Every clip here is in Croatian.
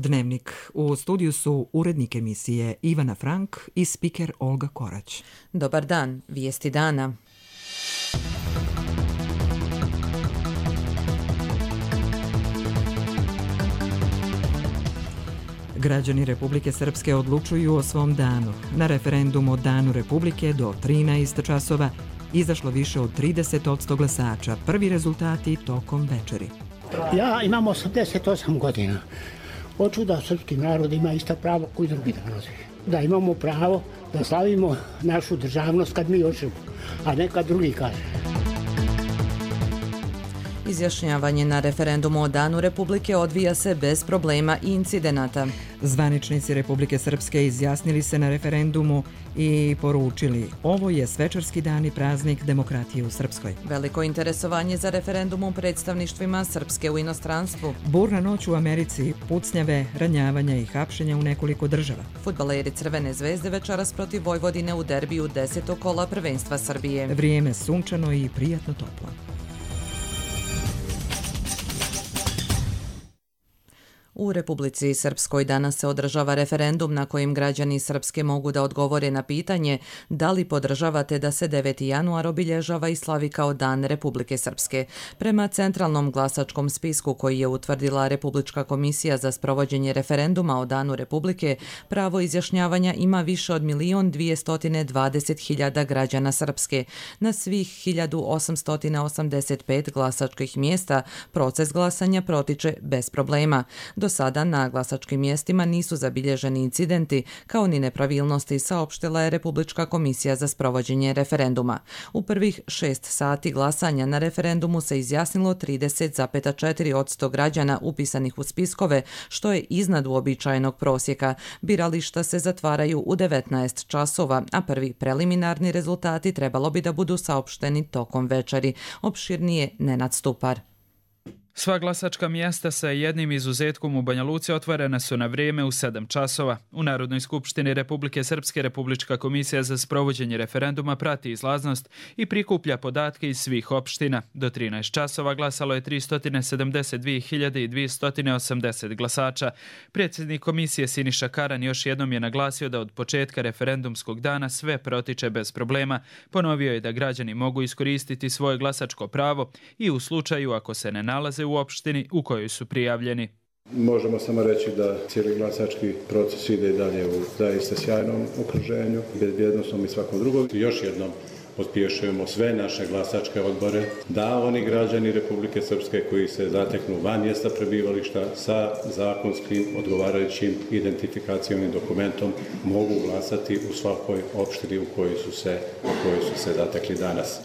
Dnevnik. U studiju su urednik emisije Ivana Frank i spiker Olga Korać. Dobar dan, vijesti dana. Građani Republike Srpske odlučuju o svom danu. Na referendum o Danu Republike do 13 časova izašlo više od 30% glasača. Prvi rezultati tokom večeri. Ja imam 88 godina. Hoću da srpski narod ima ista pravo koji drugi narodi. Da imamo pravo da slavimo našu državnost kad mi hoćemo, a ne kad drugi kaže. Izjašnjavanje na referendumu o Danu Republike odvija se bez problema i incidenata. Zvaničnici Republike Srpske izjasnili se na referendumu i poručili: ovo je svečarski dan i praznik demokratije u Srpskoj. Veliko interesovanje za referendum u predstavništvima Srpske u inostranstvu. Burna noć u Americi, pucnjave, ranjavanja i hapšenja u nekoliko država. Fudbaleri Crvene zvezde večeras protiv Vojvodine u derbiju 10. kola prvenstva Srbije. Vrijeme sunčano i prijatno toplo. U Republici Srpskoj danas se održava referendum na kojim građani Srpske mogu da odgovore na pitanje da li podržavate da se 9. januar obilježava i slavi kao Dan Republike Srpske. Prema centralnom glasačkom spisku koji je utvrdila Republička komisija za sprovođenje referenduma o Danu Republike, pravo izjašnjavanja ima više od 1.220.000 građana Srpske. Na svih 1.885 glasačkih mjesta proces glasanja protiče bez problema. Do sada na glasačkim mjestima nisu zabilježeni incidenti kao ni nepravilnosti, saopštila je Republička komisija za sprovođenje referenduma. U prvih 6 sati glasanja na referendumu se izjasnilo 30,4% građana upisanih u spiskove, što je iznad uobičajenog prosjeka. Birališta se zatvaraju u 19 časova, a prvi preliminarni rezultati trebalo bi da budu saopšteni tokom večeri. Opširnije Nenad Stupar. Sva glasačka mjesta sa jednim izuzetkom u Banja Luci otvorena su na vrijeme u 7 časova. U Narodnoj skupštini Republike Srpske Republička komisija za sprovođenje referenduma prati izlaznost i prikuplja podatke iz svih opština. Do 13 časova glasalo je 372.280 glasača. Predsjednik komisije Siniša Karan još jednom je naglasio da od početka referendumskog dana sve protiče bez problema. Ponovio je da građani mogu iskoristiti svoje glasačko pravo i u slučaju ako se ne nalaze u opštini u kojoj su prijavljeni. Možemo samo reći da cijeli glasački proces ide i dalje u zaista sjajnom okruženju, bezbjednosnom i svakom drugom. Još jednom pospješujemo sve naše glasačke odbore da oni građani Republike Srpske koji se zateknu van mjesta prebivališta sa zakonskim odgovarajućim identifikacijom dokumentom mogu glasati u svakoj opštini u kojoj su se zatekli danas.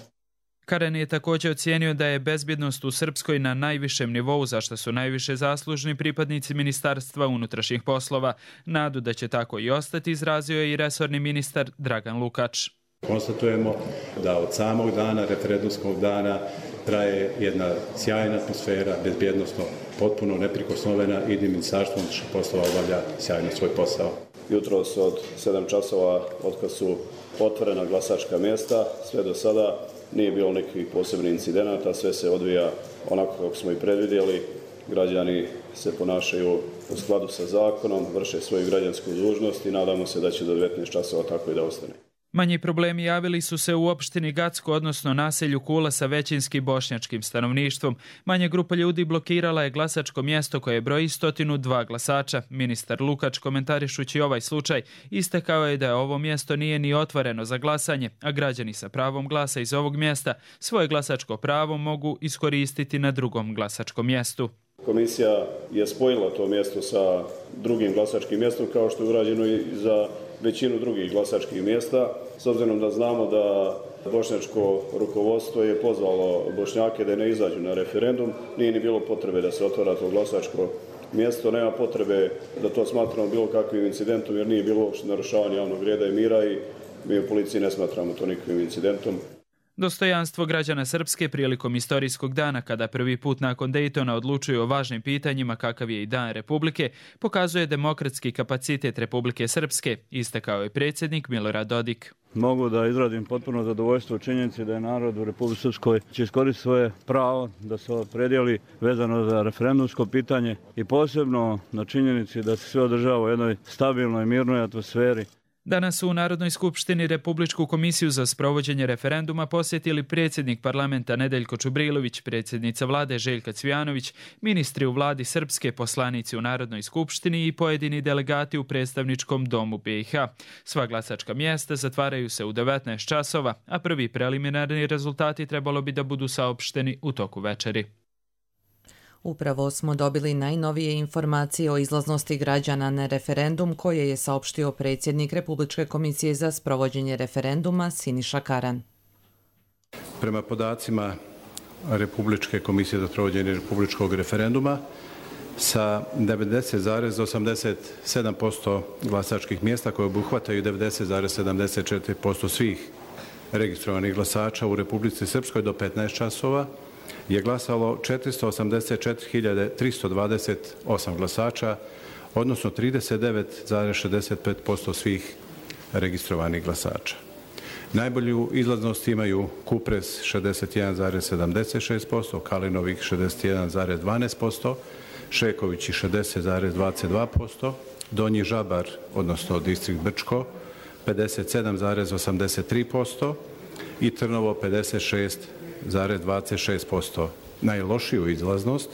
Karen je također ocijenio da je bezbjednost u Srpskoj na najvišem nivou, za što su najviše zaslužni pripadnici Ministarstva unutrašnjih poslova. Nadu da će tako i ostati izrazio je i resorni ministar Dragan Lukač. Konstatujemo da od samog dana, referendumskog dana, traje jedna sjajna atmosfera, bezbjednosno potpuno neprikosnovena i Ministarstvo unutrašnjih poslova obavlja sjajno svoj posao. Jutros od 7 časova otkad su otvorena glasačka mjesta, sve do sada nije bilo nekih posebnih incidenata, sve se odvija onako kako smo i predvidjeli. Građani se ponašaju u skladu sa zakonom, vrše svoju građansku dužnost i nadamo se da će do 19 časova tako i da ostane. Manji problemi javili su se u opštini Gacko, odnosno naselju Kula sa većinskim bošnjačkim stanovništvom. Manja grupa ljudi blokirala je glasačko mjesto koje broji 102 glasača. Ministar Lukač, komentarišući ovaj slučaj, istakao je da ovo mjesto nije ni otvoreno za glasanje, a građani sa pravom glasa iz ovog mjesta svoje glasačko pravo mogu iskoristiti na drugom glasačkom mjestu. Komisija je spojila to mjesto sa drugim glasačkim mjestom kao što je urađeno i za većinu drugih glasačkih mjesta. S obzirom da znamo da bošnjačko rukovodstvo je pozvalo Bošnjake da ne izađu na referendum, nije ni bilo potrebe da se otvara to glasačko mjesto, nema potrebe da to smatramo bilo kakvim incidentom jer nije bilo narušavanje javnog reda i mira i mi u policiji ne smatramo to nikakvim incidentom. Dostojanstvo građana Srpske prilikom istorijskog dana, kada prvi put nakon Dejtona odlučuju o važnim pitanjima kakav je i Dan Republike, pokazuje demokratski kapacitet Republike Srpske, istakao je predsjednik Milorad Dodik. Mogu da izrazim potpuno zadovoljstvo u činjenici da je narod u Republici Srpskoj će iskoristiti svoje pravo da se opredijeli vezano za referendumsko pitanje i posebno na činjenici da se sve održava u jednoj stabilnoj i mirnoj atmosferi. Danas su u Narodnoj skupštini Republičku komisiju za sprovođenje referenduma posjetili predsjednik parlamenta Nedeljko Čubrilović, predsjednica vlade Željka Cvijanović, ministri u vladi Srpske, poslanici u Narodnoj skupštini i pojedini delegati u predstavničkom domu BiH. Sva glasačka mjesta zatvaraju se u 19 časova, a prvi preliminarni rezultati trebalo bi da budu saopšteni u toku večeri. Upravo smo dobili najnovije informacije o izlaznosti građana na referendum koje je saopštio predsjednik Republičke komisije za sprovođenje referenduma Siniša Karan. Prema podacima Republičke komisije za sprovođenje republičkog referenduma, sa 90,87% glasačkih mjesta koje obuhvataju 90,74% svih registrovanih glasača u Republici Srpskoj do 15 časova, je glasalo 484.328 glasača, odnosno 39,65% svih registrovanih glasača. Najbolju izlaznost imaju Kupres 61,76%, Kalinovik 61,12%, Šekovići 60,22%, Donji Žabar, odnosno distrikt Brčko, 57,83% i Trnovo 56,26%. Najlošiju izlaznost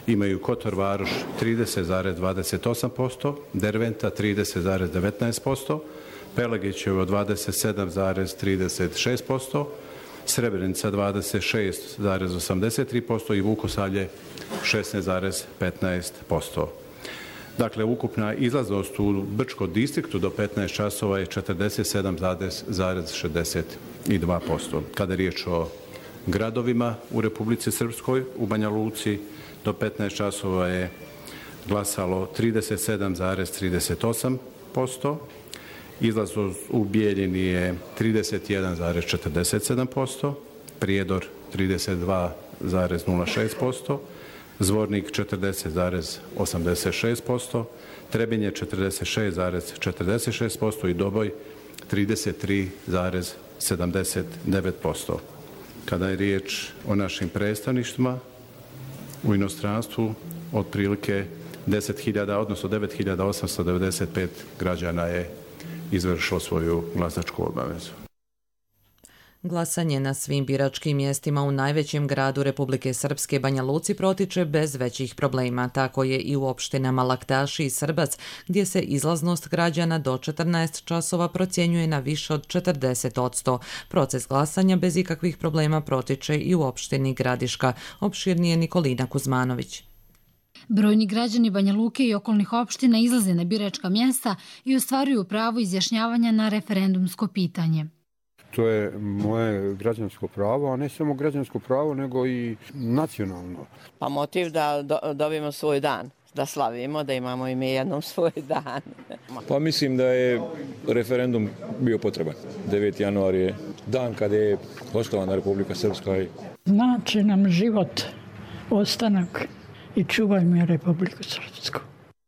imaju Kotor Varoš 30,28%, Derventa 30,19%, Pelegićevo 27,36%, Srebrenica 26,83% i Vukosavlje 16,15%. Dakle, ukupna izlaznost u Brčko distriktu do 15 časova je 47,62%. Kada je riječ o gradovima u Republici Srpskoj, u Banja Luci do 15 časova je glasalo 37,38%, izlaznost u Bijeljini je 31,47%, Prijedor 32,06%, Zvornik 40,86%, Trebinje 46,46% i Doboj 33,79%. Kada je riječ o našim predstavništvima u inostranstvu, otprilike 10.000, odnosno 9.895 građana je izvršilo svoju glasačku obavezu. Glasanje na svim biračkim mjestima u najvećem gradu Republike Srpske, Banja Luci, protiče bez većih problema. Tako je i u opštinama Laktaši i Srbac, gdje se izlaznost građana do 14 časova procjenjuje na više od 40%. Proces glasanja bez ikakvih problema protiče i u opštini Gradiška. Opširnije Nikolina Kuzmanović. Brojni građani Banja Luke i okolnih opština izlaze na biračka mjesta i ostvaruju pravo izjašnjavanja na referendumsko pitanje. To je moje građansko pravo, a ne samo građansko pravo, nego i nacionalno. Pa motiv da dobijemo svoj dan, da slavimo, da imamo i mi jednom svoj dan. Pa mislim da je referendum bio potreban. 9. januar je dan kada je osnovana Republika Srpska. Znači nam život, ostanak i čuvajmo Republiku Srpsku.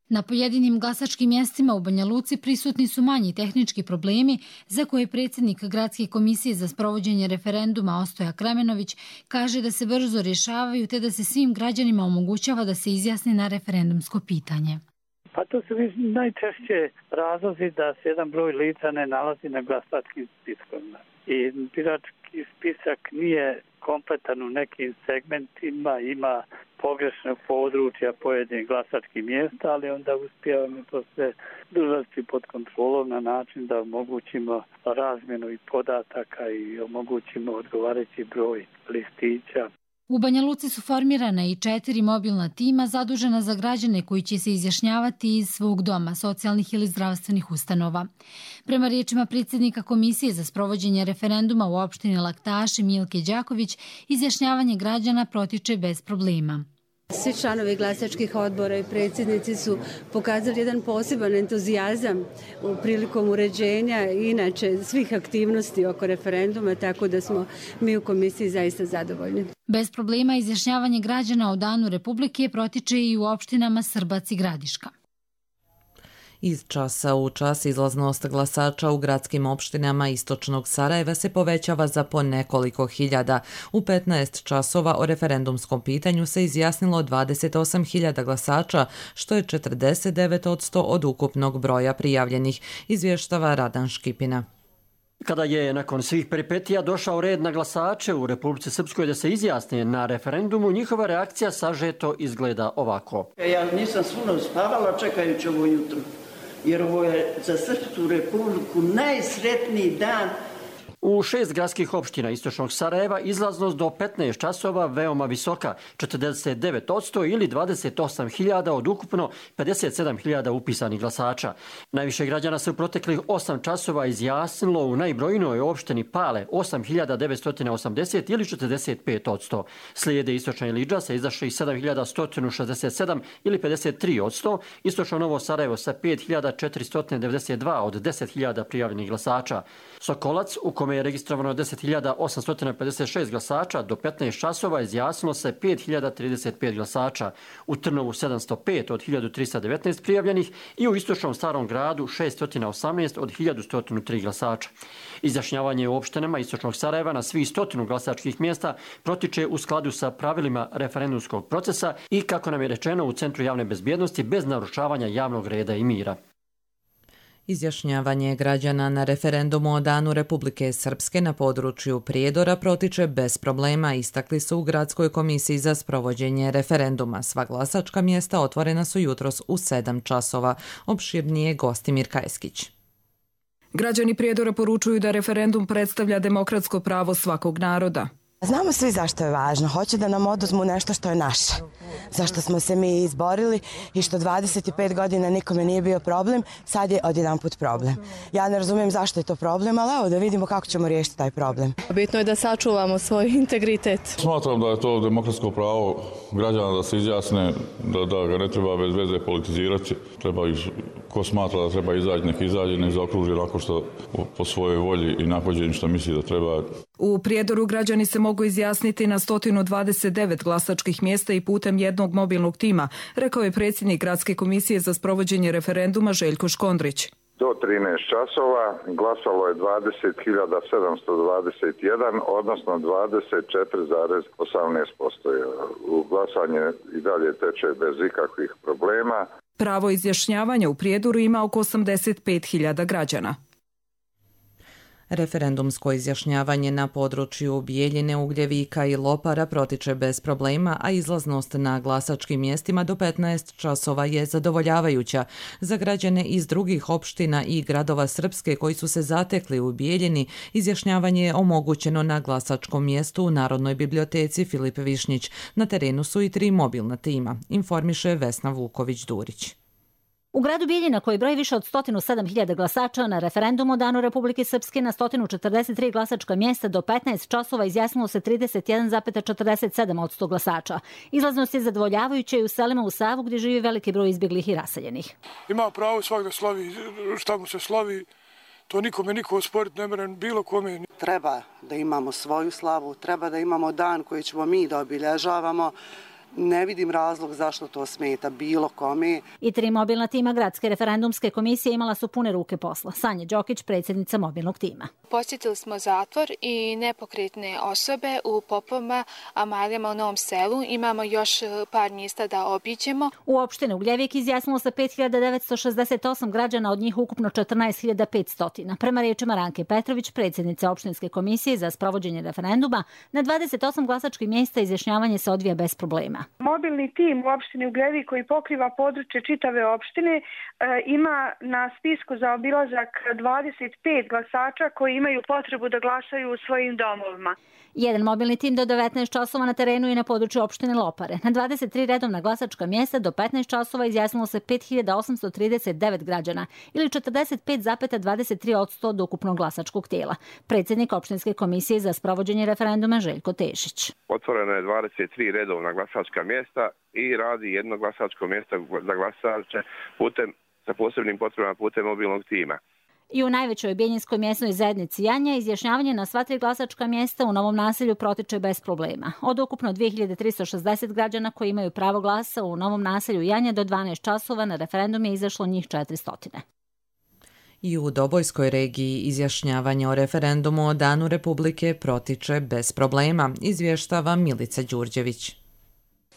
Na pojedinim glasačkim mjestima u Banja Luci prisutni su manji tehnički problemi za koje predsjednik Gradske komisije za sprovođenje referenduma Ostoja Kremenović kaže da se brzo rješavaju te da se svim građanima omogućava da se izjasni na referendumsko pitanje. Pa to su najčešće razlozi da se jedan broj lica ne nalazi na glasačkim spiskovima. I birački spisak nije kompletan u nekim segmentima, ima pogrešnog područja pojedinih glasačkih mjesta, ali onda uspijevamo to sve držati pod kontrolom na način da omogućimo razmjenu i podataka i omogućimo odgovarajući broj listića. U Banja Luci su formirana i 4 mobilna tima zadužena za građane koji će se izjašnjavati iz svog doma, socijalnih ili zdravstvenih ustanova. Prema riječima predsjednika Komisije za sprovođenje referenduma u opštini Laktaši Milke Đaković, izjašnjavanje građana protiče bez problema. Svi članovi glasačkih odbora i predsjednici su pokazali jedan poseban entuzijazam prilikom uređenja i inače svih aktivnosti oko referenduma, tako da smo mi u komisiji zaista zadovoljni. Bez problema izjašnjavanje građana o Danu Republike protiče i u opštinama Srbac i Gradiška. Iz časa u čas izlaznost glasača u gradskim opštinama istočnog Sarajeva se povećava za po nekoliko hiljada. U 15 časova o referendumskom pitanju se izjasnilo 28.000 glasača, što je 49% od ukupnog broja prijavljenih, izvještava Radan Škipina. Kada je nakon svih peripetija došao red na glasače u Republici Srpskoj da se izjasne na referendumu, njihova reakcija sažeto izgleda ovako. Ja nisam svuno spavala čekajući ovo jutro, jer ovo je za Srpsku Republiku najsretniji dan. U 6 gradskih opština istočnog Sarajeva izlaznost do 15 časova veoma visoka, 49% ili 28.000 od ukupno 57.000 upisanih glasača. Najviše građana se u proteklih 8 časova izjasnilo u najbrojnijoj opštini Pale, 8.980 ili 45%. Slijede istočna Ilidža sa izašli 7.167 ili 53%, istočno Novo Sarajevo sa 5.492 od 10.000 prijavljenih glasača. Sokolac, u kome je registrovano 10.856 glasača, do 15 časova izjasnilo se 5.035 glasača, u Trnovu 705 od 1.319 prijavljenih i u istočnom Starom gradu 618 od 1.103 glasača. Izjašnjavanje u opštinama istočnog Sarajeva na svih 100 glasačkih mjesta protiče u skladu sa pravilima referendumskog procesa i, kako nam je rečeno, u Centru javne bezbjednosti bez narušavanja javnog reda i mira. Izjašnjavanje građana na referendumu o Danu Republike Srpske na području Prijedora protiče bez problema, istakli su u Gradskoj komisiji za sprovođenje referenduma. Sva glasačka mjesta otvorena su jutros u 7 časova. Opširnije Gostimir Kajskić. Građani Prijedora poručuju da referendum predstavlja demokratsko pravo svakog naroda. Znamo svi zašto je važno. Hoće da nam oduzmu nešto što je naše. Zašto smo se mi izborili i što 25 godina nikome nije bio problem, sad je odjedanput problem. Ja ne razumijem zašto je to problem, ali evo da vidimo kako ćemo riješiti taj problem. Bitno je da sačuvamo svoj integritet. Smatram da je to demokratsko pravo građana da se izjasne, da ga ne treba bez veze politizirati. Treba ih, ko smatra da treba izaći, nek izađe, nek zaokruži onako što po svojoj volji i nahođenju što misli da treba. U Prijedoru građani se mogu izjasniti na 129 glasačkih mjesta i putem jednog mobilnog tima, rekao je predsjednik Gradske komisije za sprovođenje referenduma Željko Škondrić. Do 13 časova glasalo je 20.721, odnosno 24,18%. U glasanje i dalje teče bez ikakvih problema. Pravo izjašnjavanja u Prijedoru ima oko 85.000 građana. Referendumsko izjašnjavanje na području Bijeljine, Ugljevika i Lopara protiče bez problema, a izlaznost na glasačkim mjestima do 15 časova je zadovoljavajuća. Za građane iz drugih opština i gradova Srpske koji su se zatekli u Bijeljini, izjašnjavanje je omogućeno na glasačkom mjestu u Narodnoj biblioteci Filip Višnjić. Na terenu su i 3 mobilna tima, informiše Vesna Vuković-Durić. U gradu Bijeljina, koji broji više od 107.000 glasača, na referendumu o Danu Republike Srpske na 143 glasačka mjesta do 15 časova izjasnilo se 31,47% glasača. Izlaznost je zadovoljavajuća i u selima u Savu gdje živi veliki broj izbjeglih i raseljenih. Ima pravo svak da slavi šta mu se slavi, to nikome niko osporiti ne mere bilo kome. Treba da imamo svoju slavu, treba da imamo dan koji ćemo mi da obilježavamo. Ne vidim razlog zašto to smeta bilo kome. I 3 mobilna tima Gradske referendumske komisije imala su pune ruke posla. Sanja Đokić, predsjednica mobilnog tima. Posjetili smo zatvor i nepokretne osobe u Popovima, Amalijama u Novom Selu. Imamo još par mjesta da obiđemo. U opštini Ugljevik izjasnilo se 5.968 građana, od njih ukupno 14.500. Prema riječima Ranke Petrović, predsjednice opštinske komisije za sprovođenje referenduma, na 28 glasačkih mjesta izjašnjavanje se odvija bez problema. Mobilni tim u opštini Ugljevik koji pokriva područje čitave opštine ima na spisku za obilazak 25 glasača koji imaju potrebu da glasaju u svojim domovima. Jedan mobilni tim do 19 časova na terenu i na području opštine Lopare. Na 23 redovna glasačka mjesta do 15 časova izjasnilo se 5.839 građana ili 45,23% od ukupnog glasačkog tijela. Predsjednik opštinske komisije za sprovođenje referenduma Željko Tešić. Otvoreno je 23 redovna glasačka biračka mjesta i radi jedno glasačko mjesto za glasače sa posebnim potrebama putem mobilnog tima. I u najvećoj Bijeljinskoj mjesnoj zajednici Janja izjašnjavanje na sva 3 glasačka mjesta u novom naselju protiče bez problema. Od ukupno 2360 građana koji imaju pravo glasa u novom naselju Janja do 12 časova na referendum je izašlo njih 400. I u Dobojskoj regiji izjašnjavanje o referendumu o Danu Republike protiče bez problema, izvještava Milica Đurđević.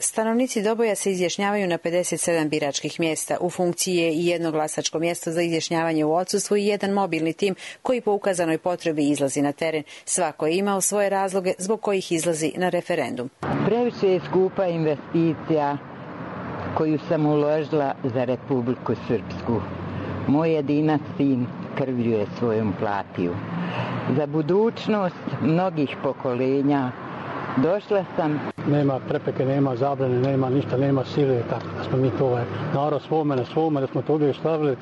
Stanovnici Doboja se izjašnjavaju na 57 biračkih mjesta. U funkciji je i jedno glasačko mjesto za izjašnjavanje u odsustvu i jedan mobilni tim koji po ukazanoj potrebi izlazi na teren. Svako je imao svoje razloge zbog kojih izlazi na referendum. Previše je skupa investicija koju sam uložila za Republiku Srpsku. Moj jedinac sin krvlju je svojom platio. Za budućnost mnogih pokolenja došla sam. Nema prepeke, nema zabrane, nema ništa, nema sile, tako da smo mi to narod svome, da smo to uvijek stavili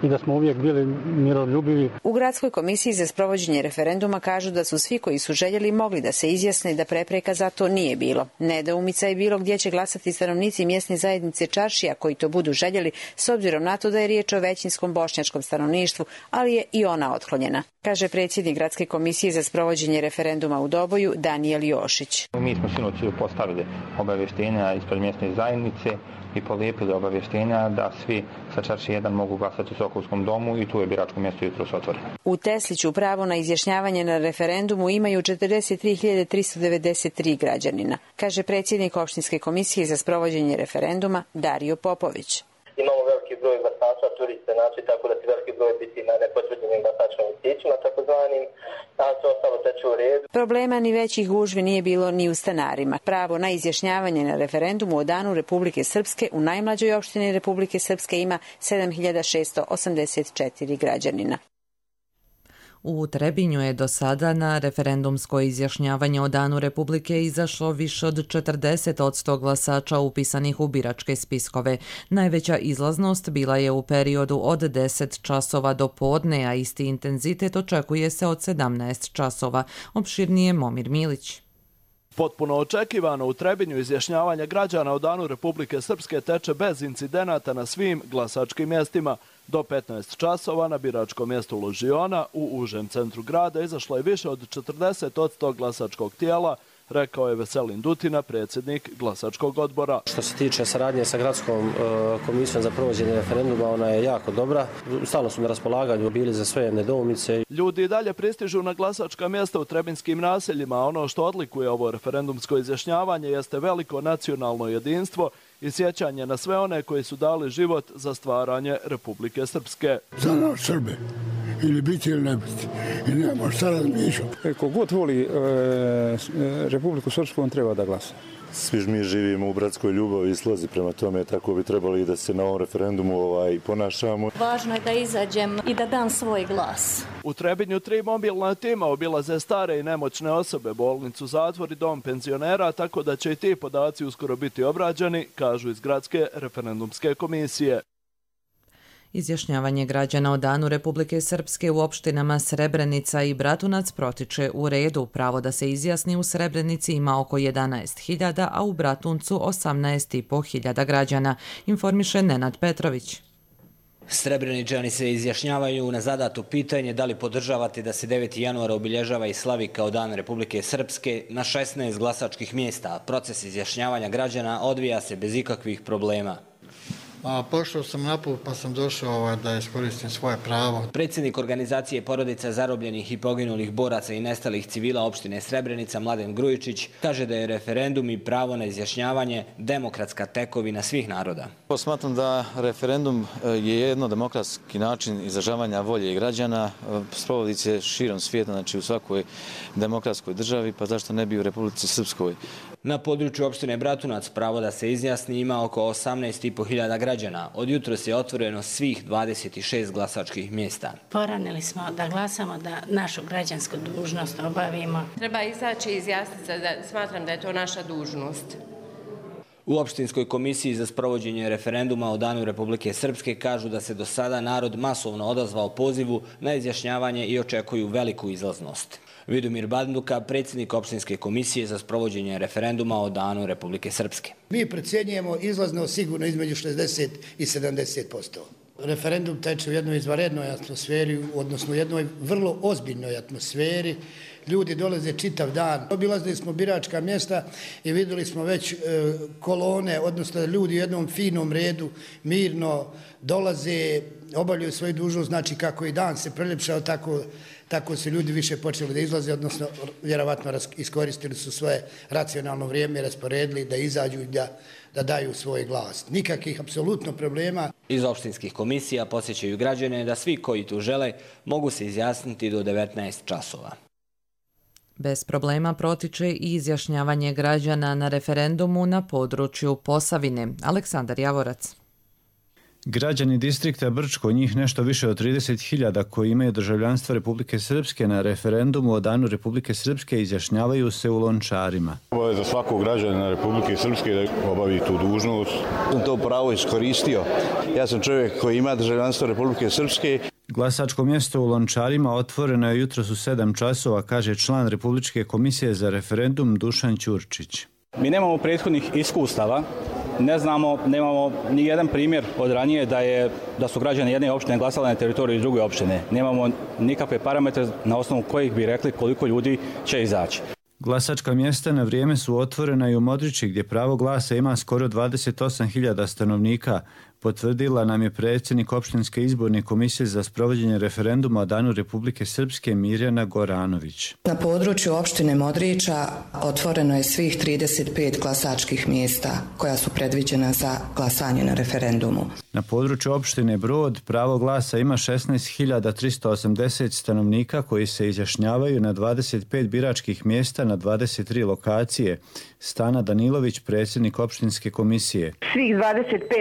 i da smo uvijek bili miroljubivi. U Gradskoj komisiji za sprovođenje referenduma kažu da su svi koji su željeli mogli da se izjasne i da prepreka za to nije bilo. Nedoumica je bilo gdje će glasati stanovnici mjesne zajednice Čaršija koji to budu željeli, s obzirom na to da je riječ o većinskom bošnjačkom stanovništvu, ali je i ona otklonjena, kaže predsjednik Gradske komisije za sprovođenje referenduma u Doboju Danijel Jošić. Mi smo sinoć postavili obavještenja ispred mjesne zajednice i polijepili obavještenja da svi sa Čaršije 1 mogu glasati u Sokolskom domu i tu je biračko mjesto jutros otvoreno. U Tesliću pravo na izjašnjavanje na referendumu imaju 43.393 građanina, kaže predsjednik opštinske komisije za sprovođenje referenduma Dario Popović. Imamo veliki broj glasača, turiste, znači tako da će veliki broj biti na nepotvrđenim glasačkim listićima, takozvanim, a sve ostalo teče u redu. Problema ni većih gužvi nije bilo ni u stanarima. Pravo na izjašnjavanje na referendumu o Danu Republike Srpske u najmlađoj opštini Republike Srpske ima 7.684 građanina. U Trebinju je do sada na referendumsko izjašnjavanje o Danu Republike izašlo više od 40% glasača upisanih u biračke spiskove. Najveća izlaznost bila je u periodu od 10 časova do podne, a isti intenzitet očekuje se od 17 časova. Opširnije Momir Milić. Potpuno očekivano u Trebinju izjašnjavanje građana o Danu Republike Srpske teče bez incidenata na svim glasačkim mjestima. Do 15 časova na biračkom mjestu Ložiona u užem centru grada izašlo je više od 40% glasačkog tijela, rekao je Veselin Dutina, predsjednik glasačkog odbora. Što se tiče saradnje sa Gradskom komisijom za provođenje referenduma, ona je jako dobra. Stalno su na raspolaganju bili za sve nedoumice. Ljudi i dalje pristižu na glasačka mjesta u trebinskim naseljima. Ono što odlikuje ovo referendumsko izjašnjavanje jeste veliko nacionalno jedinstvo i sjećanje na sve one koji su dali život za stvaranje Republike Srpske. Za nas Srbe, ili biti ili ne biti, i nema šta razmišljati. Kogod voli Republiku Srpsku, on treba da glasa. Svi mi živimo u bratskoj ljubavi i slozi, prema tome tako bi trebali da se na ovom referendumu ponašamo. Važno je da izađem i da dam svoj glas. U Trebinju 3 mobilna tima obilaze stare i nemoćne osobe, bolnicu, zatvor i dom penzionera, tako da će i ti podaci uskoro biti obrađeni, kažu iz Gradske referendumske komisije. Izjašnjavanje građana o Danu Republike Srpske u opštinama Srebrenica i Bratunac protiče u redu. Pravo da se izjasni u Srebrenici ima oko 11.000, a u Bratuncu 18.500 građana, informiše Nenad Petrović. Srebreničani se izjašnjavaju na zadato pitanje da li podržavate da se 9. januara obilježava i slavi kao Dan Republike Srpske na 16 glasačkih mjesta. Proces izjašnjavanja građana odvija se bez ikakvih problema. Pošao sam na put pa sam došao da iskoristim svoje pravo. Predsjednik organizacije porodica zarobljenih i poginulih boraca i nestalih civila opštine Srebrenica Mladen Grujičić kaže da je referendum i pravo na izjašnjavanje demokratska tekovina svih naroda. Smatram da referendum je jedno demokratski način izražavanja volje građana. Sprovodi se širom svijeta, znači u svakoj demokratskoj državi, pa zašto ne bi u Republici Srpskoj. Na području opštine Bratunac pravo da se izjasni ima oko 18.500 građana. Od jutros je otvoreno svih 26 glasačkih mjesta. Poranili smo da glasamo, da našu građansku dužnost obavimo. Treba izaći i izjasniti se, da smatram da je to naša dužnost. U opštinskoj komisiji za sprovođenje referenduma o Danu Republike Srpske kažu da se do sada narod masovno odazvao pozivu na izjašnjavanje i očekuju veliku izlaznost. Vidomir Banduka, predsjednik opštinske komisije za sprovođenje referenduma o Danu Republike Srpske. Mi procjenjujemo izlaznost sigurno između 60 i 70%. Referendum teče u jednoj izvanrednoj atmosferi, odnosno u jednoj vrlo ozbiljnoj atmosferi. Ljudi dolaze čitav dan. Obilazili smo biračka mjesta i vidjeli smo već kolone, odnosno ljudi u jednom finom redu mirno dolaze, obavljaju svoju dužnost, znači kako i dan se preljepšao, tako su ljudi više počeli da izlaze, odnosno vjerovatno iskoristili su svoje racionalno vrijeme, rasporedili da izađu i da daju svoj glas. Nikakvih apsolutno problema. Iz opštinskih komisija podsjećaju građane da svi koji tu žele mogu se izjasniti do 19 časova. Bez problema protiče i izjašnjavanje građana na referendumu na području Posavine. Aleksandar Javorac. Građani distrikta Brčko, njih nešto više od 30.000 koji imaju državljanstvo Republike Srpske, na referendumu o Danu Republike Srpske izjašnjavaju se u Lončarima. Obaveza svakog građanina Republike Srpske da obavi tu dužnost. Sam to pravo iskoristio. Ja sam čovjek koji ima državljanstvo Republike Srpske. Glasačko mjesto u Lončarima otvoreno je jutros u 7 časova, kaže član Republičke komisije za referendum Dušan Ćurčić. Mi nemamo prethodnih iskustava, ne znamo, nemamo ni jedan primjer od ranije da su građani jedne opštine glasali na teritoriji druge opštine. Nemamo nikakve parametre na osnovu kojih bi rekli koliko ljudi će izaći. Glasačka mjesta na vrijeme su otvorena i u Modriči, gdje pravo glasa ima skoro 28.000 stanovnika, potvrdila nam je predsjednik opštinske izborne komisije za sprovođenje referenduma o Danu Republike Srpske Mirjana Goranović. Na području opštine Modriča otvoreno je svih 35 glasačkih mjesta koja su predviđena za glasanje na referendumu. Na području opštine Brod pravo glasa ima 16.380 stanovnika koji se izjašnjavaju na 25 biračkih mjesta na 23 lokacije. Stana Danilović, predsjednik opštinske komisije. Svih 25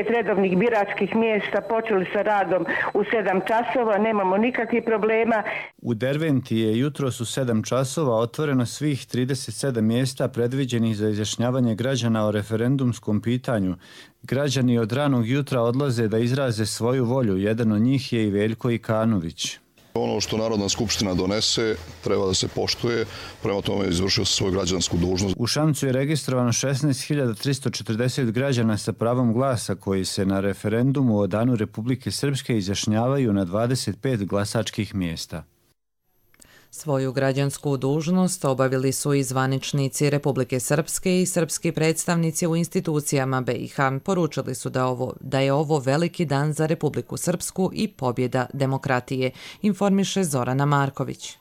redovnih biračkih mjesta počeli sa radom u 7 časova, nemamo nikakvih problema. U Derventi je jutros u 7 časova otvoreno svih 37 mjesta predviđenih za izjašnjavanje građana o referendumskom pitanju. Građani od ranog jutra odlaze da izraze svoju volju, jedan od njih je i Veljko Ikanović. Ono što Narodna skupština donese treba da se poštuje, prema tome izvršio se svoju građansku dužnost. U Šamcu je registrovano 16.340 građana sa pravom glasa koji se na referendumu o Danu Republike Srpske izjašnjavaju na 25 glasačkih mjesta. Svoju građansku dužnost obavili su i zvaničnici Republike Srpske i srpski predstavnici u institucijama BiH. Poručili su da je ovo veliki dan za Republiku Srpsku i pobjeda demokratije, informiše Zorana Marković.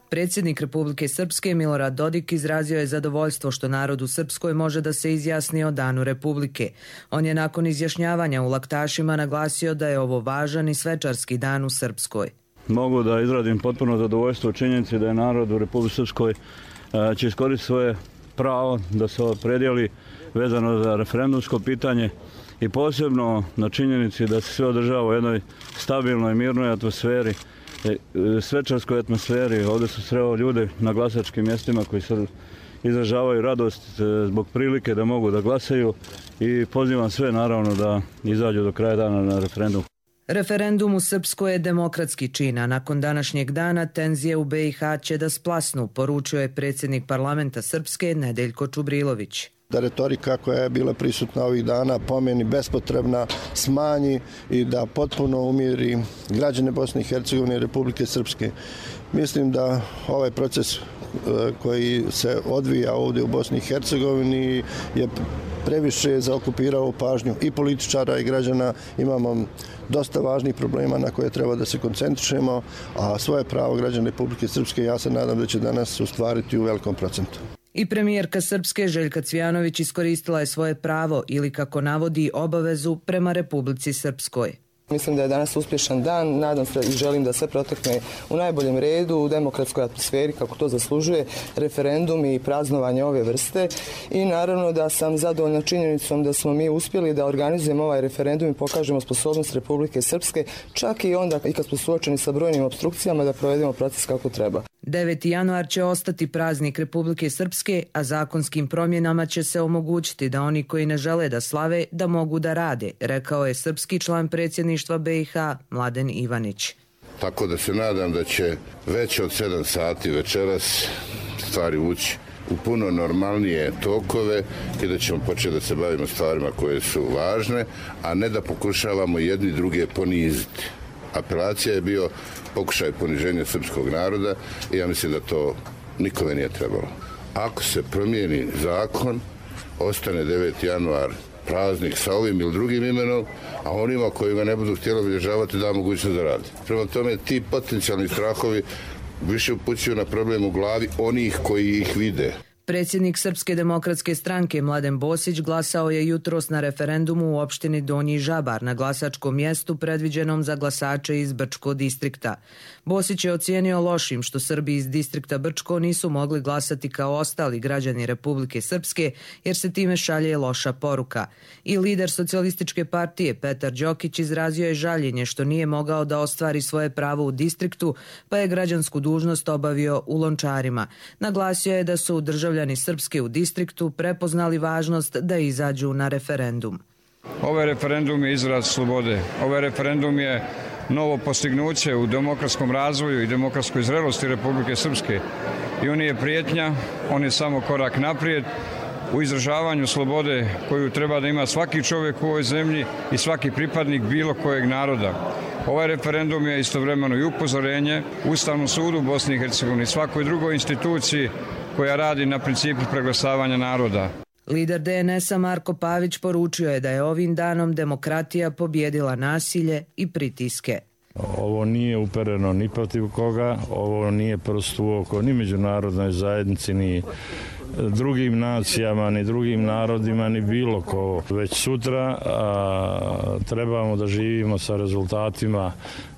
Predsjednik Republike Srpske Milorad Dodik izrazio je zadovoljstvo što narod u Srpskoj može da se izjasni o Danu Republike. On je nakon izjašnjavanja u Laktašima naglasio da je ovo važan i svečarski dan u Srpskoj. Mogu da izradim potpuno zadovoljstvo u činjenici da je narod u Republici Srpskoj će iskoristiti svoje pravo da se opredijeli vezano za referendumsko pitanje i posebno na činjenici da se sve održava u jednoj stabilnoj i mirnoj atmosferi, svečarskoj atmosferi. Ovdje su sreo ljude na glasačkim mjestima koji se izražavaju radost zbog prilike da mogu da glasaju i pozivam sve naravno da izađu do kraja dana na referendum. Referendum u Srpskoj je demokratski čin, a nakon današnjeg dana tenzije u BiH će da splasnu, poručio je predsjednik parlamenta Srpske Nedeljko Čubrilović. Da retorika koja je bila prisutna ovih dana po meni bespotrebna smanji i da potpuno umiri građane Bosne i Hercegovine i Republike Srpske. Mislim da ovaj proces koji se odvija ovdje u Bosni i Hercegovini je previše zaokupirao pažnju i političara i građana. Imamo dosta važnih problema na koje treba da se koncentrišemo, a svoje pravo građana Republike Srpske ja se nadam da će danas ostvariti u velikom procentu. I premijerka Srpske Željka Cvijanović iskoristila je svoje pravo ili, kako navodi, obavezu prema Republici Srpskoj. Mislim da je danas uspješan dan, nadam se i želim da sve protekne u najboljem redu, u demokratskoj atmosferi kako to zaslužuje referendum i praznovanje ove vrste i naravno da sam zadovoljna činjenicom da smo mi uspjeli da organizujemo ovaj referendum i pokažemo sposobnost Republike Srpske, čak i onda i kad smo suočeni sa brojnim opstrukcijama da provedemo proces kako treba. 9. januar će ostati praznik Republike Srpske, a zakonskim promjenama će se omogućiti da oni koji ne žele da slave, da mogu da rade, rekao je srpski član predsjedništva BiH Mladen Ivanić. Tako da se nadam da će već od 7 sati večeras stvari ući u puno normalnije tokove i da ćemo početi da se bavimo stvarima koje su važne, a ne da pokušavamo jedni druge poniziti. Apelacija je bio pokušaj poniženja srpskog naroda i ja mislim da to nikome nije trebalo. Ako se promijeni zakon, ostane 9. januar praznik sa ovim ili drugim imenom, a onima koji ga ne budu htjeli obilježavati da mogućnost da rade. Prema tome, ti potencijalni strahovi više upućuju na problem u glavi onih koji ih vide. Predsjednik Srpske demokratske stranke Mladen Bosić glasao je jutros na referendumu u opštini Donji Žabar na glasačkom mjestu predviđenom za glasače iz Brčko distrikta. Bosić je ocijenio lošim što Srbi iz distrikta Brčko nisu mogli glasati kao ostali građani Republike Srpske jer se time šalje loša poruka. I lider socijalističke partije Petar Đokić izrazio je žaljenje što nije mogao da ostvari svoje pravo u distriktu pa je građansku dužnost obavio u Lončarima. Naglasio je da su državljani Srpske u distriktu prepoznali važnost da izađu na referendum. Ovaj referendum je izraz slobode. Ovaj referendum je novo postignuće u demokratskom razvoju i demokratskoj zrelosti Republike Srpske. I on je prijetnja, on je samo korak naprijed u izražavanju slobode koju treba da ima svaki čovjek u ovoj zemlji i svaki pripadnik bilo kojeg naroda. Ovaj referendum je istovremeno i upozorenje Ustavnom sudu Bosne i Hercegovine i svakoj drugoj instituciji koja radi na principu preglasavanja naroda. Lider DNS-a Marko Pavić poručio je da je ovim danom demokratija pobjedila nasilje i pritiske. Ovo nije upereno ni protiv koga, ovo nije prst u oko ni međunarodnoj zajednici, ni drugim nacijama, ni drugim narodima, ni bilo ko. Već sutra trebamo da živimo sa rezultatima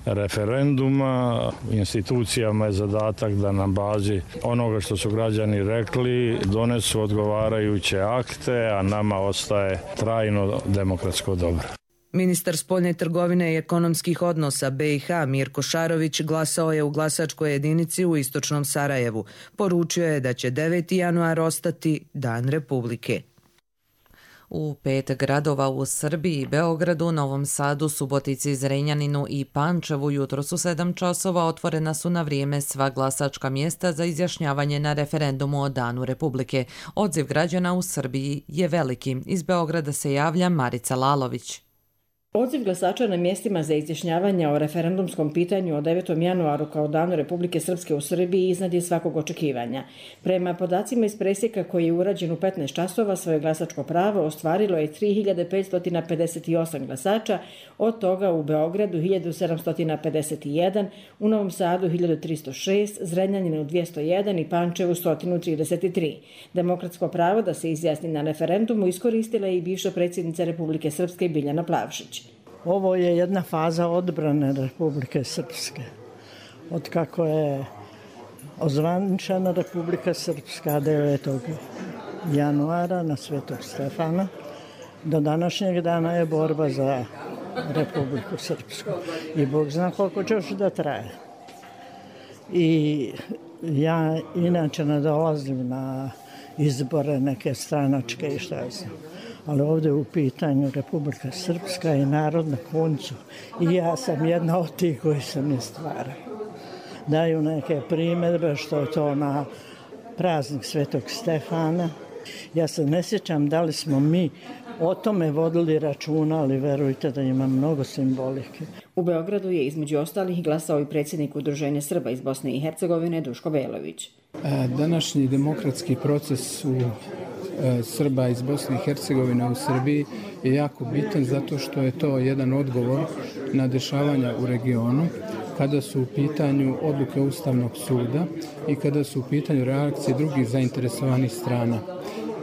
referenduma. Institucijama je zadatak da na bazi onoga što su građani rekli donesu odgovarajuće akte, a nama ostaje trajno demokratsko dobro. Ministar spoljne trgovine i ekonomskih odnosa BiH Mirko Šarović glasao je u glasačkoj jedinici u istočnom Sarajevu. Poručio je da će 9. januar ostati Dan Republike. U 5 gradova u Srbiji, Beogradu, Novom Sadu, Subotici, Zrenjaninu i Pančevu jutros u 7 časova otvorena su na vrijeme sva glasačka mjesta za izjašnjavanje na referendumu o Danu Republike. Odziv građana u Srbiji je veliki. Iz Beograda se javlja Marica Lalović. Odziv glasača na mjestima za izjašnjavanje o referendumskom pitanju o 9. januaru kao Danu Republike Srpske u Srbiji iznad je svakog očekivanja. Prema podacima iz presjeka koji je urađen u 15 časova, svoje glasačko pravo ostvarilo je 3558 glasača, od toga u Beogradu 1751, u Novom Sadu 1306, Zrenjaninu 201 i Pančevu 133. Demokratsko pravo da se izjasni na referendumu iskoristila je i bivša predsjednica Republike Srpske Biljana Plavšić. Ovo je jedna faza odbrane Republike Srpske. Od kako je ozvaničena Republika Srpska 9. januara na Svetog Stefana, do današnjeg dana je borba za Republiku Srpsku. I Bog zna koliko će još da traje. I ja inače ne dolazim na izbore neke stranačke i šta ja znam. Ali ovdje u pitanju Republika Srpska i narod na koncu. I ja sam jedna od tih koji sam je stvarao. Daju neke primjedbe što je to na praznik Svetog Stefana. Ja se ne sjećam da li smo mi o tome vodili računa, ali verujte da ima mnogo simbolike. U Beogradu je između ostalih glasao i predsjednik Udruženja Srba iz Bosne i Hercegovine Duško Belović. Današnji demokratski proces u Srba iz Bosne i Hercegovine u Srbiji je jako bitan zato što je to jedan odgovor na dešavanja u regionu kada su u pitanju odluke Ustavnog suda i kada su u pitanju reakcije drugih zainteresovanih strana.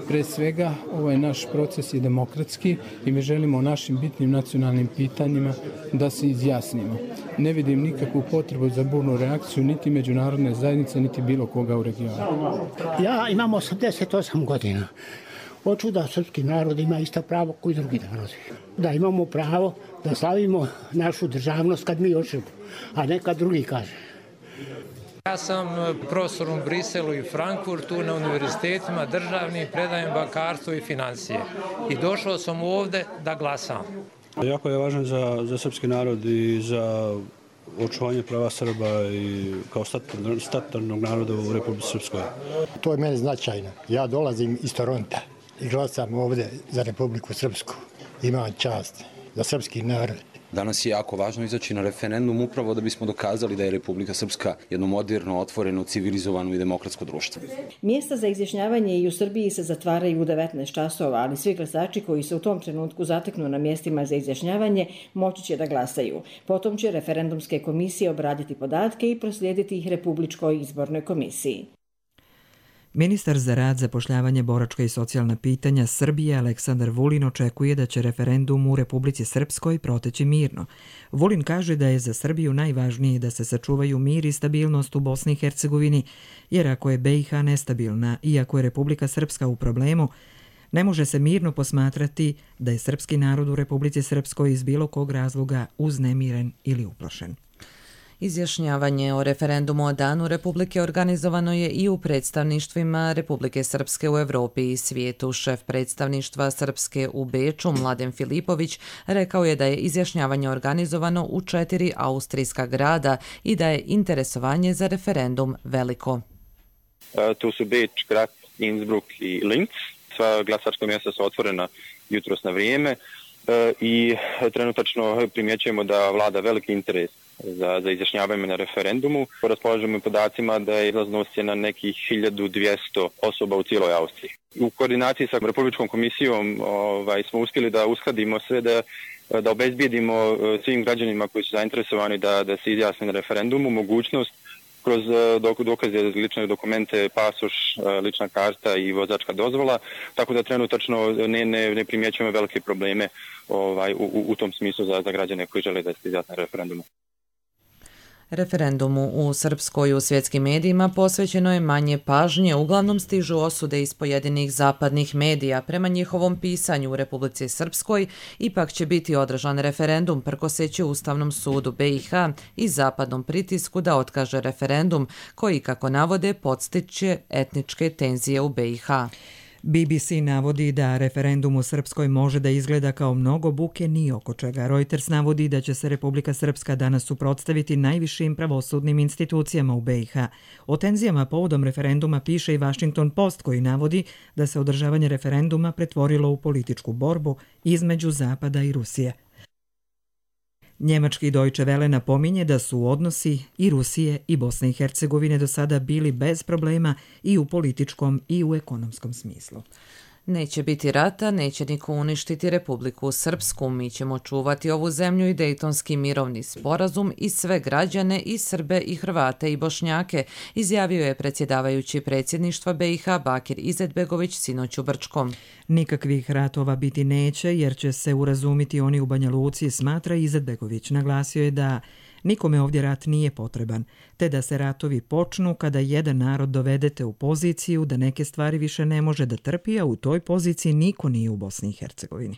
Pre svega, ovaj naš proces je demokratski i mi želimo o našim bitnim nacionalnim pitanjima da se izjasnimo. Ne vidim nikakvu potrebu za burnu reakciju niti međunarodne zajednice, niti bilo koga u regionu. Ja imam 88 godina. Hoću da srpski narod ima isto pravo koji drugi narodi. Da imamo pravo da slavimo našu državnost kad mi hoćemo, a ne kad drugi kaže. Ja sam profesor u Briselu i Frankfurtu na univerzitetima državnim, predajem bankarstvo i financije. I došao sam ovdje da glasam. Jako je važno za srpski narod i za očuvanje prava Srba i kao statutarnog naroda u Republici Srpskoj. To je meni značajno. Ja dolazim iz Toronta i glasam ovdje za Republiku Srpsku. Imam čast za srpski narod. Danas je jako važno izaći na referendum upravo da bismo dokazali da je Republika Srpska jedno moderno, otvoreno, civilizovano i demokratsko društvo. Mjesta za izjašnjavanje i u Srbiji se zatvaraju u 19 časova, ali svi glasači koji se u tom trenutku zateknu na mjestima za izjašnjavanje moći će da glasaju. Potom će referendumske komisije obraditi podatke i proslijediti ih Republičkoj izbornoj komisiji. Ministar za rad, zapošljavanje, boračka i socijalna pitanja Srbije Aleksandar Vulin očekuje da će referendum u Republici Srpskoj proteći mirno. Vulin kaže da je za Srbiju najvažnije da se sačuvaju mir i stabilnost u Bosni i Hercegovini, jer ako je BiH nestabilna i ako je Republika Srpska u problemu, ne može se mirno posmatrati da je srpski narod u Republici Srpskoj iz bilo kog razloga uznemiren ili uplašen. Izjašnjavanje o referendumu o Danu Republike organizovano je i u predstavništvima Republike Srpske u Evropi i svijetu. Šef predstavništva Srpske u Beču, Mladen Filipović, rekao je da je izjašnjavanje organizovano u 4 austrijska grada i da je interesovanje za referendum veliko. Tu su Beč, Graz, Innsbruck i Linz. Sva glasačka mjesta su otvorena jutros na vrijeme i trenutačno primjećujemo da vlada veliki interes za izjašnjavanje na referendumu. Raspolažemo podacima da je izlaznost na nekih 1200 osoba u cijeloj Austriji. U koordinaciji sa Republičkom komisijom smo uspjeli da uskladimo sve, da obezbijedimo svim građanima koji su zainteresovani da se izjasne na referendumu mogućnost kroz dokaze, lične dokumente, pasoš, lična karta i vozačka dozvola, tako da trenutačno ne primjećujemo velike probleme u tom smislu za građane koji žele da se izjasne na referendumu. Referendumu u Srpskoj u svjetskim medijima posvećeno je manje pažnje, uglavnom stižu osude iz pojedinih zapadnih medija. Prema njihovom pisanju u Republici Srpskoj ipak će biti održan referendum prkoseći Ustavnom sudu BiH i zapadnom pritisku da otkaže referendum koji, kako navode, podstiče etničke tenzije u BiH. BBC navodi da referendum u Srpskoj može da izgleda kao mnogo buke ni oko čega. Reuters navodi da će se Republika Srpska danas suprotstaviti najvišim pravosudnim institucijama u BiH. O tenzijama povodom referenduma piše i Washington Post koji navodi da se održavanje referenduma pretvorilo u političku borbu između Zapada i Rusije. Njemački Deutsche Welle napominje da su odnosi i Rusije i Bosne i Hercegovine do sada bili bez problema i u političkom i u ekonomskom smislu. Neće biti rata, neće niko uništiti Republiku Srpsku. Mi ćemo čuvati ovu zemlju i Dejtonski mirovni sporazum i sve građane i Srbe i Hrvate i Bošnjake, izjavio je predsjedavajući predsjedništva BiH Bakir Izetbegović sinoć u Brčkom. Nikakvih ratova biti neće jer će se urazumiti oni u Banja Luci, smatra Izetbegović. Naglasio je da nikome ovdje rat nije potreban, te da se ratovi počnu kada jedan narod dovedete u poziciju da neke stvari više ne može da trpi, a u toj poziciji niko nije u Bosni i Hercegovini.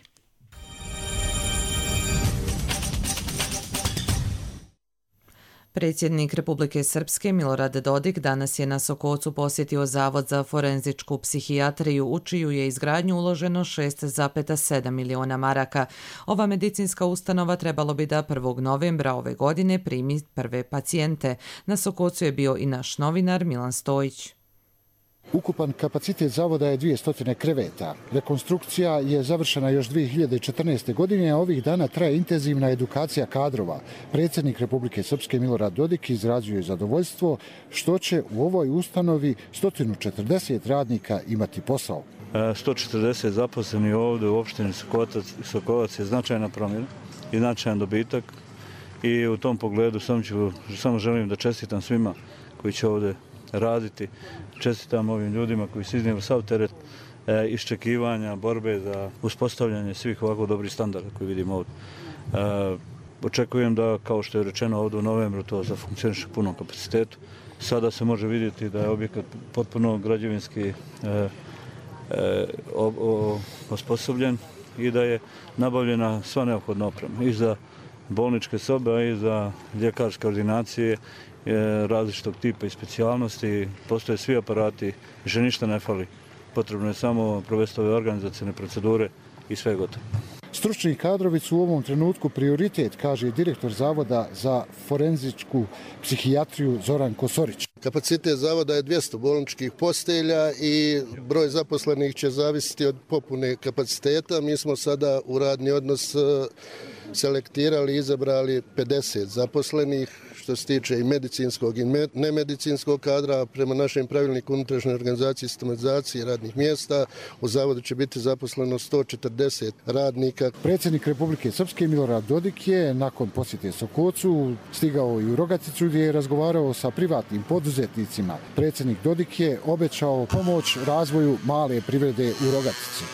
Predsjednik Republike Srpske Milorad Dodik danas je na Sokocu posjetio Zavod za forenzičku psihijatriju, u čiju je izgradnju uloženo 6,7 miliona maraka. Ova medicinska ustanova trebalo bi da 1. novembra ove godine primi prve pacijente. Na Sokocu je bio i naš novinar Milan Stojić. Ukupan kapacitet zavoda je 200 kreveta. Rekonstrukcija je završena još 2014. godine, a ovih dana traje intenzivna edukacija kadrova. Predsjednik Republike Srpske Milorad Dodik izrazio je zadovoljstvo što će u ovoj ustanovi 140 radnika imati posao. 140 zaposlenih ovdje u opštini Sokovac je značajna promjena i značajan dobitak i u tom pogledu samo želim da čestitam svima koji će ovdje raditi. Čestitam ovim ljudima koji su iznijeli sav teret iščekivanja, borbe za uspostavljanje svih ovako dobrih standarda koji vidimo ovdje. Očekujem da, kao što je rečeno ovdje u novembru, to zafunkcioniše u punom kapacitetu. Sada se može vidjeti da je objekat potpuno građevinski osposobljen i da je nabavljena sva neophodna oprema i za bolničke sobe, a i za ljekarske ordinacije različitog tipa i specijalnosti. Postoje svi aparati, više ništa ne fali. Potrebno je samo provesti ove organizacijne procedure i sve je gotovo. Stručni kadrovi su u ovom trenutku prioritet, kaže direktor Zavoda za forenzičku psihijatriju Zoran Kosorić. Kapacitet zavoda je 200 bolničkih postelja i broj zaposlenih će zavisiti od popune kapaciteta. Mi smo sada u radni odnos selektirali i izabrali 50 zaposlenih, što se tiče i medicinskog i nemedicinskog kadra. Prema našem pravilniku unutrašnje organizacije i sistematizacije radnih mjesta u zavodu će biti zaposleno 140 radnika. Predsjednik Republike Srpske Milorad Dodik je nakon posjete Sokocu stigao i u Rogaticu gdje je razgovarao sa privatnim poduzetnicima. Predsjednik Dodik je obećao pomoć razvoju male privrede u Rogatici.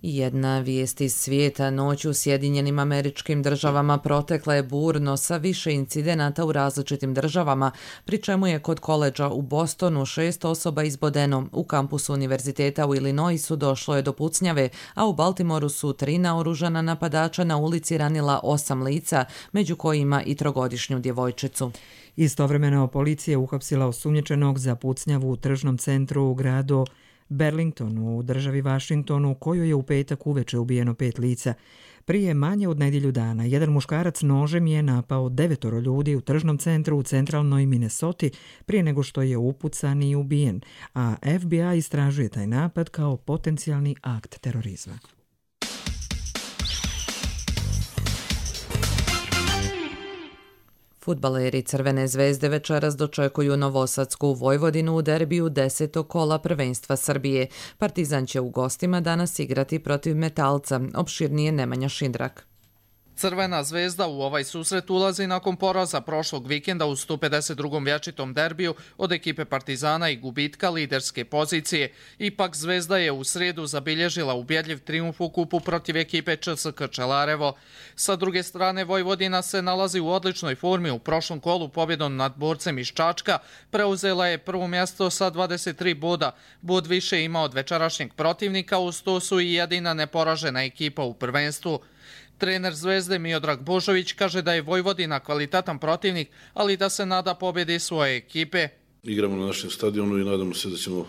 Jedna vijest iz svijeta: noć u Sjedinjenim Američkim Državama protekla je burno sa više incidenata u različitim državama, pri čemu je kod koledža u Bostonu 6 osoba izbodeno. U kampusu univerziteta u Illinoisu došlo je do pucnjave, a u Baltimoru su 3 naoružana napadača na ulici ranila 8 lica, među kojima i 3-godišnju djevojčicu. Istovremeno policija je uhapsila osumnjičenog za pucnjavu u tržnom centru u gradu Burlingtonu u državi Washingtonu, u kojoj je u petak uveče ubijeno 5 lica. Prije manje od nedjelju dana jedan muškarac nožem je napao 9 ljudi u tržnom centru u centralnoj Minnesoti prije nego što je upucan i ubijen, a FBI istražuje taj napad kao potencijalni akt terorizma. Fudbaleri Crvene zvezde večeras dočekuju Novosadsku Vojvodinu u derbiju 10. kola prvenstva Srbije. Partizan će u gostima danas igrati protiv Metalca. Opširnije Nemanja Šindrak. Crvena zvezda u ovaj susret ulazi nakon poraza prošlog vikenda u 152. vječitom derbiju od ekipe Partizana i gubitka liderske pozicije. Ipak zvezda je u srijedu zabilježila ubjedljiv trijumf u kupu protiv ekipe ČSK Čelarevo. Sa druge strane, Vojvodina se nalazi u odličnoj formi. U prošlom kolu pobjedom nad borcem iz Čačka preuzela je prvo mjesto sa 23 boda. Bod više ima od večerašnjeg protivnika, uz to su i jedina neporažena ekipa u prvenstvu. Trener Zvezde Miodrag Božović kaže da je Vojvodina kvalitetan protivnik, ali da se nada pobjedi svoje ekipe. Igramo na našem stadionu i nadamo se da ćemo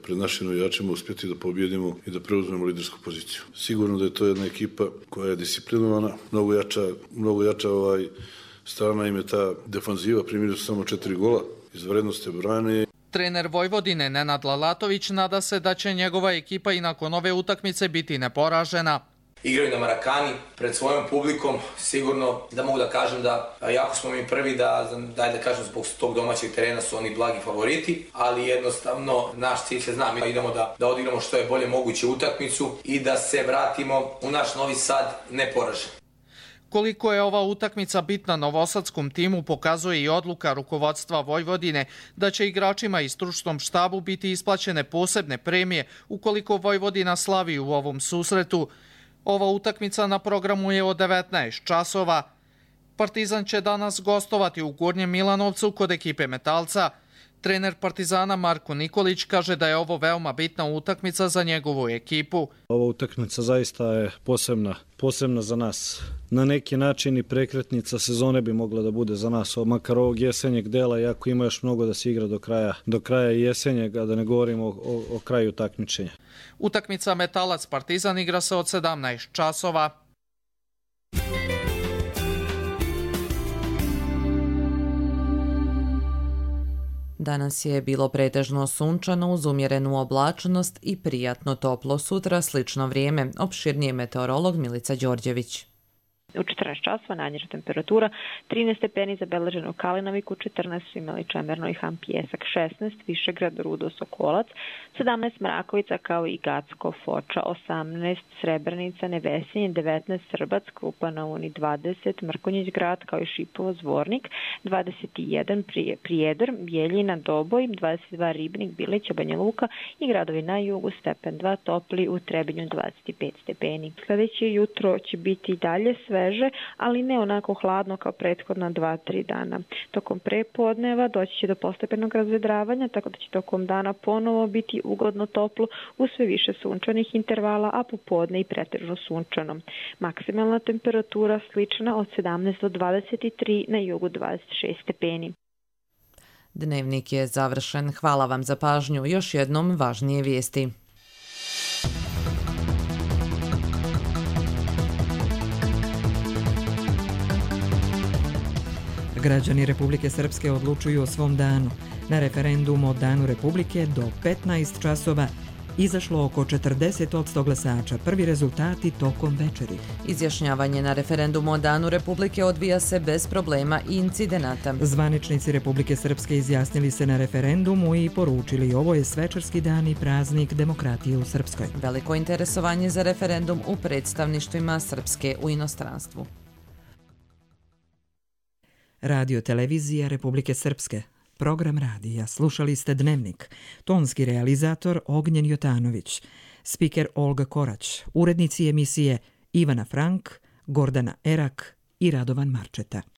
pred našim navijačima uspjeti da pobjedimo i da preuzmemo lidersku poziciju. Sigurno da je to jedna ekipa koja je disciplinovana, mnogo jača strana im je ta defanziva, primili su samo 4 gola, izvanredno ste brane. Trener Vojvodine Nenad Lalatović nada se da će njegova ekipa i nakon ove utakmice biti neporažena. Igraju na Marakani pred svojom publikom, sigurno da mogu da kažem da jako smo mi prvi da kažem zbog tog domaćeg terena su oni blagi favoriti, ali jednostavno naš cilj se zna, mi idemo da odigramo što je bolje moguće utakmicu i da se vratimo u naš Novi Sad neporažen. Koliko je ova utakmica bitna novosadskom timu pokazuje i odluka rukovodstva Vojvodine da će igračima i stručnom štabu biti isplaćene posebne premije ukoliko Vojvodina slavi u ovom susretu. Ova utakmica na programu je od 19 časova. Partizan će danas gostovati u Gornjem Milanovcu kod ekipe Metalca. Trener Partizana Marko Nikolić kaže da je ovo veoma bitna utakmica za njegovu ekipu. Ova utakmica zaista je posebna za nas. Na neki način i prekretnica sezone bi mogla da bude za nas, makar ovog jesenjeg dela, iako ima još mnogo da se igra do kraja jesenjega, da ne govorimo o kraju takmičenja. Utakmica Metalac Partizan igra se od 17 časova. Danas je bilo pretežno sunčano uz umjerenu oblačnost i prijatno toplo. Sutra slično vrijeme. Opširnije meteorolog Milica Đorđević. U 14 časova najniža temperatura 13 stepeni zabeleženo u Kalinoviku, 14 Imali Čemerno i Han Pijesak, 16 Višegrad, Rudo, Sokolac, 17 Mrakovica kao i Gacko, Foča, 18 Srebrenica, Nevesinje, 19 Srbac, Krupa na Uni, 20 Mrkonjić grad kao i Šipovo, Zvornik, 21 Prijedor, Bijeljina, Doboj, 22 Ribnik, Bilića, Banja Luka i gradovi na jugu, stepen 2 topli, u Trebinju 25 stepeni. Sljedeće jutro će biti dalje sve sveže, ali ne onako hladno kao prethodna 2-3 dana. Tokom prepodneva doći će do postepenog razvedravanja, tako da će tokom dana ponovo biti ugodno toplo uz sve više sunčanih intervala, a popodne i pretežno sunčano. Maksimalna temperatura slična od 17 do 23, na jugu 26 stepeni. Dnevnik je završen. Hvala vam za pažnju. Još jednom važnije vijesti. Građani Republike Srpske odlučuju o svom danu. Na referendum o Danu Republike do 15 časova izašlo oko 40% glasača. Prvi rezultati tokom večeri. Izjašnjavanje na referendumu o Danu Republike odvija se bez problema i incidenata. Zvaničnici Republike Srpske izjasnili se na referendumu i poručili ovo je svečarski dan i praznik demokratije u Srpskoj. Veliko interesovanje za referendum u predstavništvima Srpske u inostranstvu. Radio televizija Republike Srpske. Program radija. Slušali ste Dnevnik. Tonski realizator Ognjen Jotanović. Spiker Olga Korać. Urednici emisije Ivana Frank, Gordana Erak i Radovan Marčeta.